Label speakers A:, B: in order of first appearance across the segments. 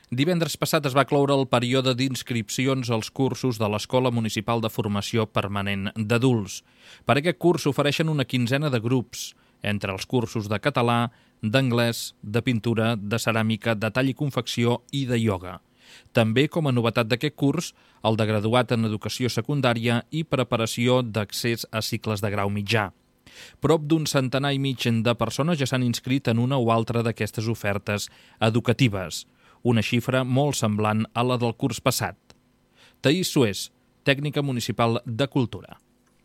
A: Divendres passat es va cloure el període d'inscripcions als cursos de l'Escola Municipal de Formació Permanent d'Adults. Per aquest curs s'ofereixen una quinzena de grups, entre els cursos de català, d'anglès, de pintura, de ceràmica, de tall i confecció i de ioga. També, com a novetat d'aquest curs, el de graduat en educació secundària i preparació d'accés a cicles de grau mitjà. Prop d'un centenar i mig de persones ja s'han inscrit en una o altra d'aquestes ofertes educatives, una xifra molt semblant a la del curs passat. Taís Sués, tècnica municipal de Cultura.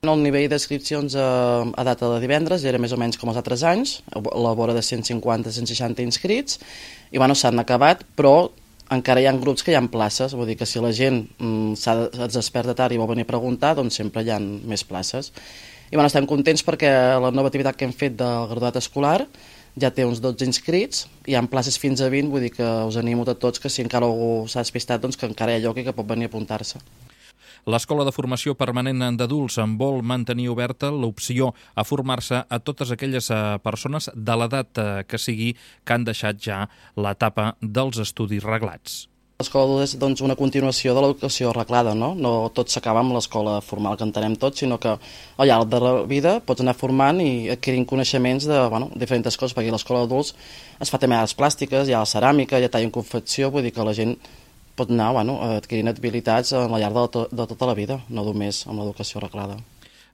B: El nivell d'inscripcions a data de divendres era més o menys com els altres anys, a la vora de 150-160 inscrits, i s'han acabat, però encara hi ha grups que hi ha places, vull dir que si la gent es desperta tard i vol venir a preguntar, doncs sempre hi ha més places. I estem contents perquè la nova activitat que hem fet del graduat escolar ja té uns 12 inscrits, hi ha places fins a 20, vull dir que us animo a tots que si encara algú s'ha despistat, doncs que encara hi ha lloc i que pot venir a apuntar-se.
A: L'Escola de Formació Permanent d'Adults en vol mantenir oberta l'opció a formar-se a totes aquelles persones de l'edat que sigui que han deixat ja l'etapa dels estudis reglats.
B: L'escola és una continuació de l'educació reglada, no? No tot s'acaba amb l'escola formal que entenem tots, sinó que al llarg de la vida pots anar formant i adquirint coneixements de diferents coses, perquè a l'escola d'adults es fa també arts plàstiques, hi ha la ceràmica, hi ha tall en confecció, vull dir que la gent pot anar adquirint habilitats al llarg de tota la vida, no només amb l'educació reglada.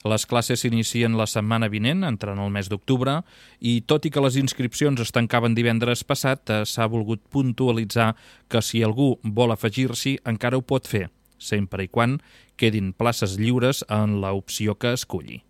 A: Les classes s'inicien la setmana vinent, entrant el mes d'octubre, i tot i que les inscripcions es tancaven divendres passat, s'ha volgut puntualitzar que si algú vol afegir-s'hi encara ho pot fer, sempre i quan quedin places lliures en l'opció que esculli.